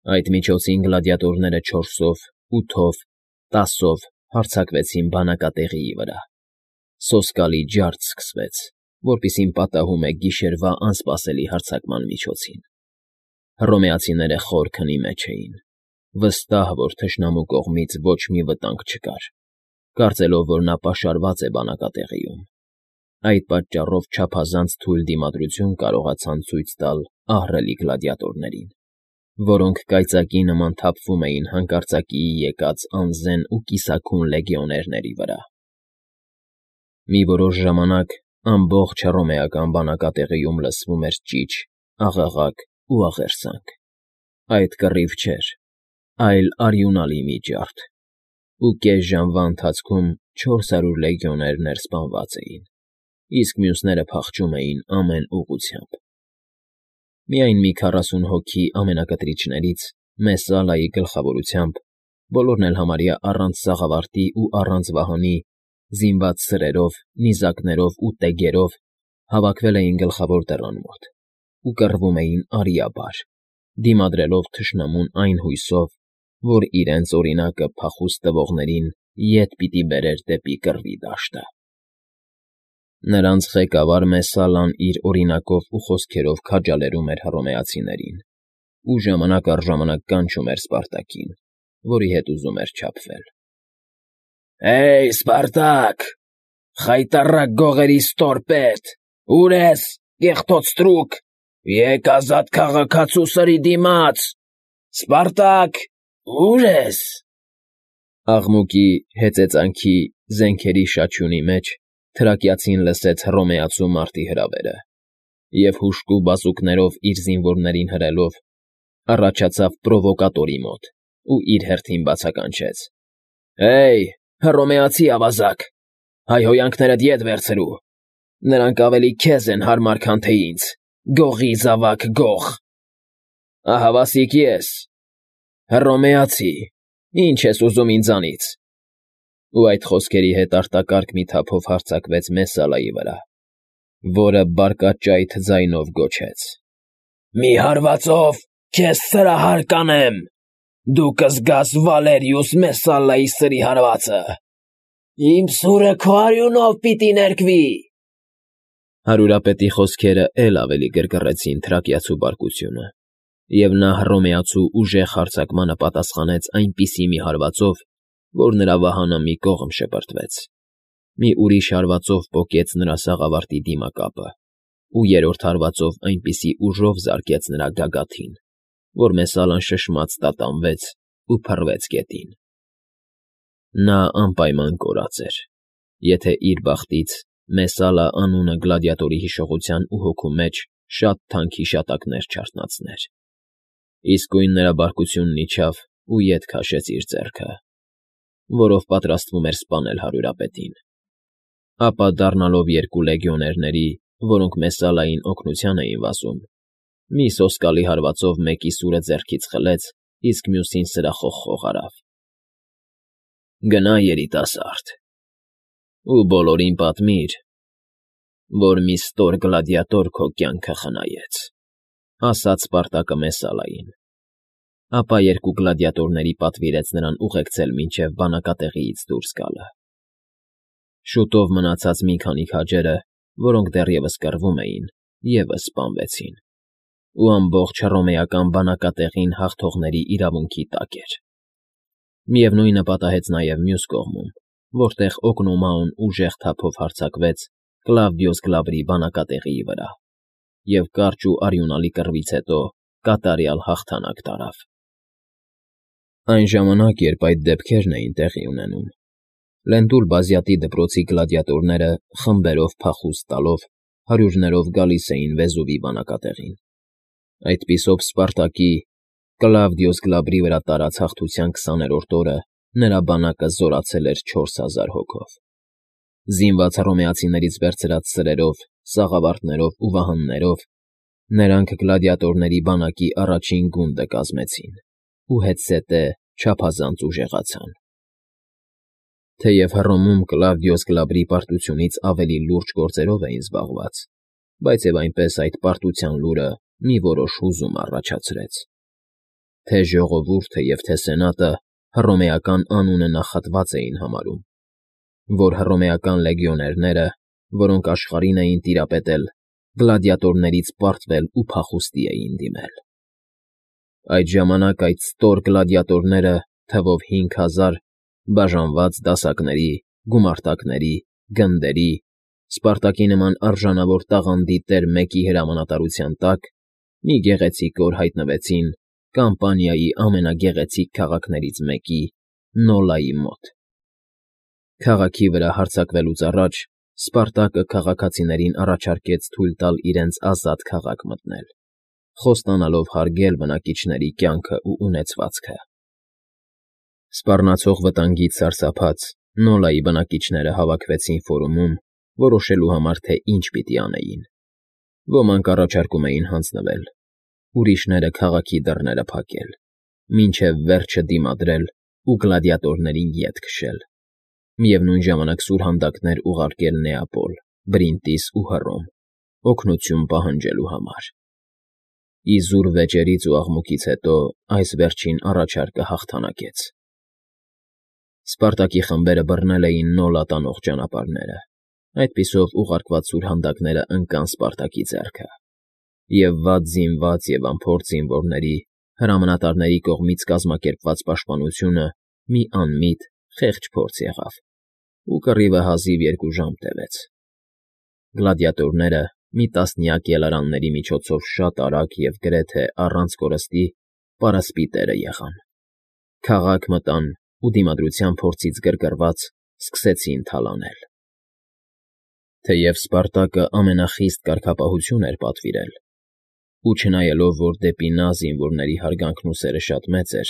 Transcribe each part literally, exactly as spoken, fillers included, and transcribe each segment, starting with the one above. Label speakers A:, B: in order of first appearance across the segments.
A: Այդ միջոցին գլադիատորները չորսով, ութով, տասով հարձակվեցին բանակատեղիի վրա. սոսկալի ջարդ սկսվեց, որպիսին պատահում է գիշերվա անսպասելի հարձակման միջոցին. հռոմեացիները խոր քնի մեջ էին, վստահ, որ թշնամու կողմից ոչ մի վտանգ չկար, կարծելով, որ նա պաշարված է բանակատեղիում. այդ պատճառով չափազանց թույլ դիմադրություն կարողացան ցույց տալ ահռելի գլադիատորներին, որոնք կայծակի նման թափվում էին հանկարծակիի եկած անզեն ու կիսաքուն լեգիոներների վրա։ Մի որոշ ժամանակ ամբողջ հռոմեական բանակատեղիում լսվում էր ճիչ, աղաղակ ու աղերսանք. այդ կռիվ չէր, այլ արյունալի մի ջարդ, ու կես ժամվա ընթացքում չորս հարյուր լեգիոներ ներսպանված էին, իսկ մյուսները փախչում էին ամեն ուղղությամբ։ Միայն մի քառասուն հոգի ամենակտրիչներից Մեսսալայի գլխավորությամբ, բոլորն էլ համարյա առանց սաղավարտի ու առանց վահանի, զինված սրերով, նիզակներով ու տեգերով, հավաքվել էին գլխավոր դռան մոտ ու կռվում էին արիաբար, դիմադրելով թշնամուն այն հույսով, որ իրենց օրինակը փախուստ տվողներին ետ պիտի բերեր դեպի կռվի դաշտը։ Նրանց ղեկավար Մեսսալան իր օրինակով ու խոսքերով քաջալերում էր հռոմեացիներին ու ժամանակ առ ժամանակ կանչում էր Սպարտակին, որի հետ ուզում էր չափվել. «Հե՜յ, Սպարտակ, խայտառակ գողերի ստորպետ, ո՞ւր ես, կեղտոտ ստրուկ, եկ ազատ քաղաքացու սրի դիմաց, Սպարտակ, ո՞ւր ես»։ Աղմուկի, հեծեծանքի, զենքերի շաչյունի մեջ թրակիացին լսեց հռոմեացու մարտի հրավերը և հուժկու բազուկներով իր զինվորներին հրելով, առաջացավ պրովոկատորի մոտ ու իր հերթին բացականչեց. «Հե՜յ, հռոմեացի ավազակ, հայհոյանքներդ ետ վերցրու, նրանք ավելի քեզ են հարմար, քան թե ինձ, գողի զավակ գող։ Ահավասիկ ես, հռոմեացի, ի՞նչ ես ուզում ինձանից»։ Ու այդ խոսքերի հետ արտակարգ մի թափով հարձակվեց Մեսսալայի վրա, որը բարկաճայթ ձայնով գոչեց. «Մի հարվածով քեզ սրահար կանեմ, դու կզգաս Վալերիուս Մեսսալայի սրի հարվածը, իմ սուրը քո արյունով պիտի ներկվի»։ Հարյուրապետի խոսքերը էլ ավելի գրգռեցին թրակիացու բարկությունը, և նա հռոմեացու ուժեղ հարձակմանը պատասխանեց այնպիսի մի հարվածով, որ նրա վահանը մի կողմ շպրտվեց, մի ուրիշ հարվածով պոկեց նրա սաղավարտի դիմակապը ու երրորդ հարվածով այնպիսի ուժով զարկեց նրա գագաթին, որ Մեսսալան շշմած տատանվեց ու փռվեց գետին։ Նա անպայման կորած էր, եթե իր բախտից Մեսսալա անունը գլադիատորի հիշողության ու հոգու մեջ շատ թանկ հիշատակներ չարթնացներ։ Իսկույն նրա բարկությունն իջավ ու ետ քաշեց իր ձեռքը, որով պատրաստվում էր սպանել հարյուրապետին։ Ապա դառնալով երկու լեգիոներների, որոնք Մեսսալային օգնության էին վազում, մի սոսկալի հարվածով մեկի սուրը ձեռքից խլեց, իսկ մյուսին սրախոխխող արավ. «Գնա, երիտասարդ, ու բոլորին պատմիր, որ մի ստոր գլադիատոր քո կյանքը խնայեց», ասաց Սպարտակը Մեսսալային։ Ապա երկու գլադիատորների պատվիրեց նրան ուղեկցել մինչև բանակատեղիից դուրս գալը։ Շուտով մնացած մի քանի քաջերը, որոնք դեռևս կռվում էին, ևս սպանվեցին, ու ամբողջ հռոմեական բանակատեղին հաղթողների իրավունքի տակ էր։ Միևնույնը պատահեց նաև մյուս կողմում, որտեղ Օկնոմաուն ուժեղ թափով հարձակվեց Կլավդիոս Գլաբրի բանակատեղիի վրա և կարճ ու արյունալի կռվից հետո կատարյալ հաղթանակ տարավ։ Այն ժամանակ, երբ այդ դեպքերն էին տեղի ունենում, Լենտուլ Բազյատի դպրոցի գլադիատորները խմբերով փախուստ տալով հարյուրներով գալիս էին Վեզուվի բանակատեղին։ Այդպիսով Սպարտակի Կլավդիոս Գլաբրի վրա տարած հաղթության քսաներորդ օրը նրա բանակը զորացել էր չորս հազար հոգով։ Զինված հռոմեացիներից վերցրած սրերով, սաղավարտներով ու վահաններով նրանք գլադիատորների բանակի առաջին գունդը կազմեցին ու հետզհետե չափազանց ուժեղացան։ Թեև Հռոմում Կլավդիոս Գլաբրի պարտությունից ավելի լուրջ գործերով էին զբաղված, բայց և այնպես այդ պարտության լուրը մի որոշ հուզում առաջացրեց։ Թե ժողովուրդը և թե սենատը հռոմեական անունը նախատված էին համարում, որ հռոմեական լեգիոներները, որոնք աշխարհին էին տիրապետել, գլադիատորներից պարտվել ու փախուստի էին դիմել։ Այդ ժամանակ այդ ստոր գլադիատորները թվով հինգ հազար, բաժանված դասակների, գումարտակների, գնդերի, Սպարտակի նման արժանավոր տաղանդի տեր մեկի հրամանատարության տակ, մի գեղեցիկ օր հայտնվեցին Կամպանիայի ամենագեղեցիկ քաղաքներից մեկի՝ Նոլայի մոտ։ Քաղաքի վրա հարձակվելուց առաջ Սպարտակը քաղաքացիներին առաջարկեց թույլ տալ իրենց ազատ քաղաք մտնել, խոստանալով հարգել բնակիչների կյանքն ու ունեցվածքը։ Սպառնացող վտանգից սարսափած Նոլայի բնակիչները հավաքվեցին ֆորումում, որոշելու համար, թե ինչ պիտի անեին։ Ոմանք առաջարկում էին հանձնվել, ուրիշները քաղաքի դռները փակել, մինչև վերջը դիմադրել ու գլադիատորներին ետ քշել, միևնույն ժամանակ սուրհանդակներ ուղարկել Նեապոլ, Բրինտիս ու Հռոմ, օգնություն պահանջելու համար։ Իզուր վեճերից ու աղմուկից հետո այս վերջին առաջարկը հաղթանակեց։ Սպարտակի խմբերը բռնել էին Նոլա տանող ճանապարհները, այդպիսով ուղարկված սուրհանդակները ընկան Սպարտակի ձեռքը, և վատ զինված և անփորձ զինվորների, հրամանատարների կողմից կազմակերպված պաշտպանությունը մի անմիտ, խեղճ փորձ եղավ, ու կռիվը հազիվ երկու ժամ տևեց։ Գլադիատորները մի տասնյակ ելարանների միջոցով շատ արագ և գրեթե առանց կորստի պարասպիտերը եղան, քաղաք մտան ու դիմադրության փորձից գրգռված սկսեցին թալանել։ Թեև Սպարտակը ամենախիստ կարգապահություն էր պատվիրել, ու չնայելով, որ դեպի նա զինվորների հարգանքն ու սերը շատ մեծ էր,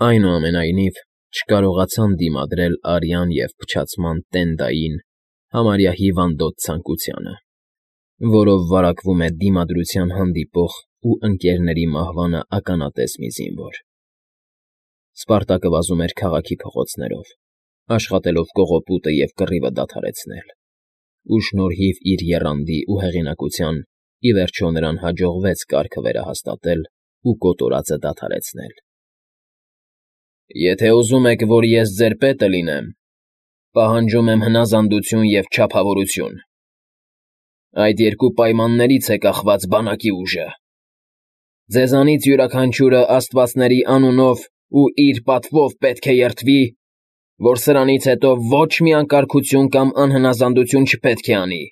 A: այնուամենայնիվ չկարողացան դիմադրել արյան և փչացման տենդային, համարյա հիվանդոտ ցանկությանը, որով վարակվում է դիմադրության հանդիպող ու ընկերների մահվանը ականատես մի զինվոր։ Սպարտակը վազում էր քաղաքի փողոցներով, աշխատելով կողոպուտը և կռիվը դադարեցնել, ու շնորհիվ իր եռանդի ու հեղինակության, ի վերջո նրան հաջողվեց կարգը վերահաստատել ու կոտորածը դադարեցնել։ «Եթե ուզում եք, որ ես ձեր պետը լինեմ, պահանջում եմ հնազանդություն և չափավորություն. այդ երկու պայմաններից է կախված բանակի ուժը։ Ձեզանից յուրաքանչյուրը աստվածների անունով ու իր պատվով պետք է երդվի, որ սրանից հետո ոչ մի անկարգություն կամ անհնազանդություն չպետք է անի։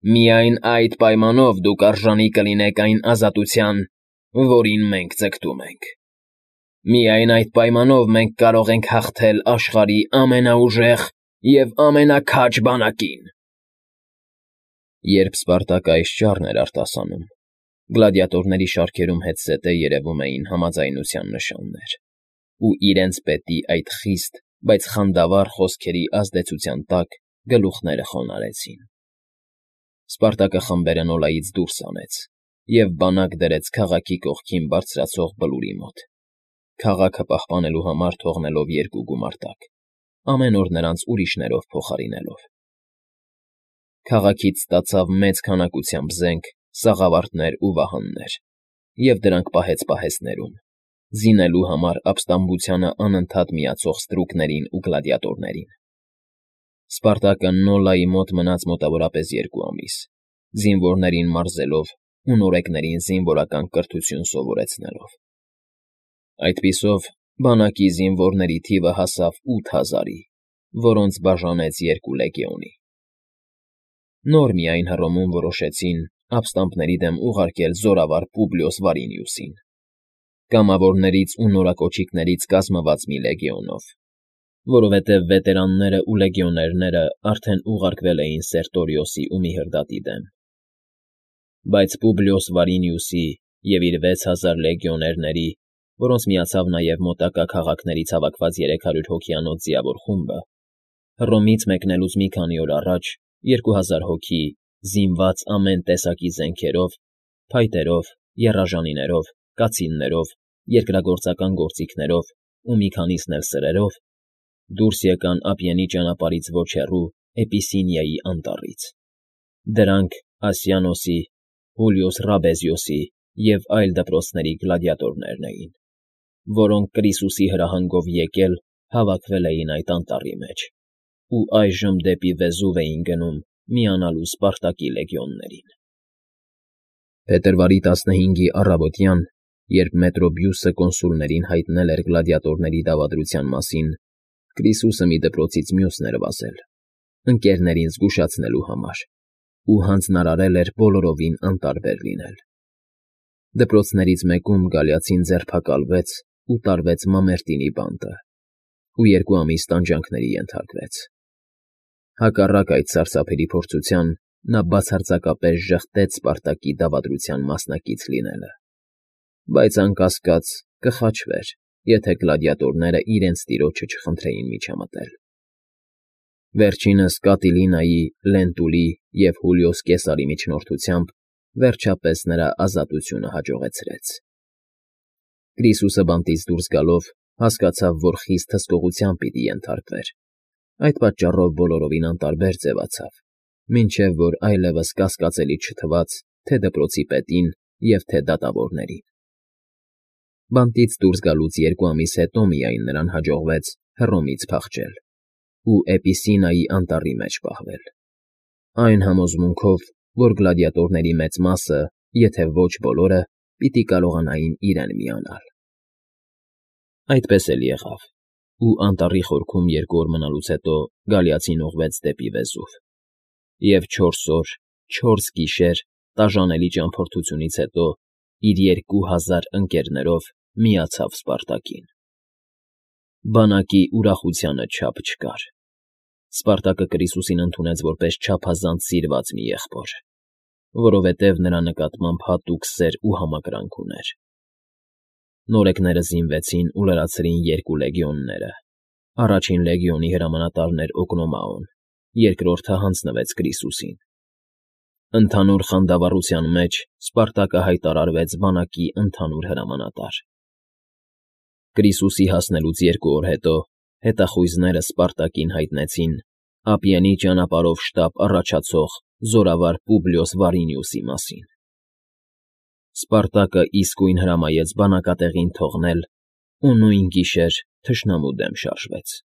A: Միայն այդ պայմանով դուք արժանի կլինեք այն ազատության, որին մենք ձգտում ենք։ Միայն այդ պայմանով մենք կարող ենք հաղթել աշխարհի ամենաուժեղ և ամենաքաջ բանակին»։ Երբ Սպարտակը այս ճառն էր արտասանում, գլադիատորների շարքերում հետզհետե երևում էին համաձայնության նշաններ, ու իրենց պետի այդ խիստ, բայց խանդավառ խոսքերի ազդեցության տակ գլուխները խոնարհեցին։ Սպարտակը խմբերը Նոլայից դուրս հանեց և բանակ դրեց քաղաքի կողքին բարձրացող բլուրի մոտ, քաղաքը պահպանելու համար թողնելով երկու գումարտակ, ամեն օր նրանց ուրիշներով փոխարինելով։ Քաղաքից ստացավ մեծ քանակությամբ զենք, սաղավարտներ ու վահաններ, և դրանք պահեց պահեստներում, զինելու համար ապստամբությանը անընդհատ միացող ստրուկներին ու գլադիատորներին։ Սպարտակը Նոլայի մոտ մնաց մոտավորապես երկու ամիս, զինվորներին մարզելով ու նորեկներին զինվորական կրթություն սովորեցնելով։ Այդպիսով բանակի զինվորների թիվը հասավ ութ հազարի, որոնց բաժանեց երկու լեգիոնի։ Նոր միայն Հռոմում որոշեցին ապստամբների դեմ ուղարկել զորավար Պուբլիոս Վարինիուսին, կամավորներից ու նորակոչիկներից կազմված մի լեգիոնով, որովհետև վետերանները ու լեգիոներները արդեն ուղարկվել էին Սերտորիոսի ու Միհրդատի դեմ։ Բայց Պուբլիոս Վարինիուսի և իր վեց հազար լեգիոներների, որոնց միացավ նաև մոտակա քաղաքներից հավաքված երեք հարյուր հոգիանոց ձիավոր խումբը, Հռոմից մեկնելուց մի քանի օր առաջ երկու հազար հոգի, զինված ամեն տեսակի զենքերով, փայտերով, եռաժանիներով, կացիններով, երկրագործական գործիքներով ու մի քանիսն էլ սրերով դուրս եկան Ափիենի ճանապարհից ոչ հեռու Էպիսինիայի անտառից։ Դրանք Ասիանոսի, Հուլիոս Ռաբեզիոսի և այլ դպրոցների գլադիատորներն էին, որոնք Կրիսուսի հրահանգով եկել հավաքվել էին այդ անտառի մեջ ու այժմ դեպի Վեզուվ էին գնում միանալու Սպարտակի լեգիոններին։ Փետրվարի տասնհինգի առավոտյան, երբ Մետրոբիուսը կոնսուլներին հայտնել էր գլադիատորների դավադրության մասին, Կրիսուսը մի դպրոցից մյուսն էր վազել, ընկերներին զգուշացնելու համար, ու հանձնարարել էր բոլորովին անտարբեր լինել։ Դպրոցներից մեկում գալիացին ձերբակալվեց ու տարվեց Մամերտինի բանտը ու երկու ամիս տանջանքների ենթարկվեց։ Հակառակ այդ սարսափելի փորձության, նա բացարձակապես ժխտեց Սպարտակի դավադրության մասնակից լինելը, բայց անկասկած կխաչվեր, եթե գլադիատորները իրենց տիրոջը չխնդրեին միջամտել։ Վերջինս Կատիլինայի, Լենտուլի և Հուլիոս Կեսարի միջնորդությամբ վերջապես նրա ազատությունը հաջողեցրեց։ Կրիսուսը բանտից դուրս գալով հասկացավ, որ խիստ հսկողության պիտի ենթարկվեր, այդ պատճառով բոլորովին անտարբեր ձևացավ, մինչև որ այլևս կասկածելի չթվաց թե՛ դպրոցի պետին և թե՛ դատավորներին։ Բանտից դուրս գալուց երկու ամիս հետո միայն նրան հաջողվեց Հռոմից փախչել ու Էպիսինայի անտառի մեջ պահվել, այն համոզմունքով, որ գլադիատորների մեծ մասը, եթե ոչ բոլորը, պիտի կարողանային իրեն միանալ։ Այդպես էլ եղավ, ու անտառի խորքում երկու օր մնալուց հետո գալիացին ուղղվեց դեպի Վեզուվ, և չորս օր, չորս գիշեր տաժանելի ճամփորդությունից հետո իր երկու հազար ընկերներով միացավ Սպարտակին։ Բանակի ուրախությանը չափ չկար։ Սպարտակը Կրիսուսին ընդունեց որպես չափազանց սիրված մի եղբոր, որովհետև նրա նկատմամբ հատուկ սեր ու համակրանք ուներ։ Նորեկները զինվեցին ու լրացրին երկու լեգիոնները։ Առաջին լեգիոնի հրամանատարն էր Օկնոմաոն, երկրորդը հանձնվեց Կրիսուսին։ Ընդհանուր խանդավառության մեջ Սպարտակը հայտարարվեց բանակի ընդհանուր հրամանատար։ Կրիսուսի հասնելուց երկու օր հետո հետախույզները Սպարտակին հայտնեցին Ափիենի ճանապարհով շտապ առաջացող զորավար Պուբլիոս Վարինիուսի մասին։ Սպարտակը իսկույն հրամայեց բանակատեղին թողնել ու նույն գիշեր թշնամու դեմ շարժվեց։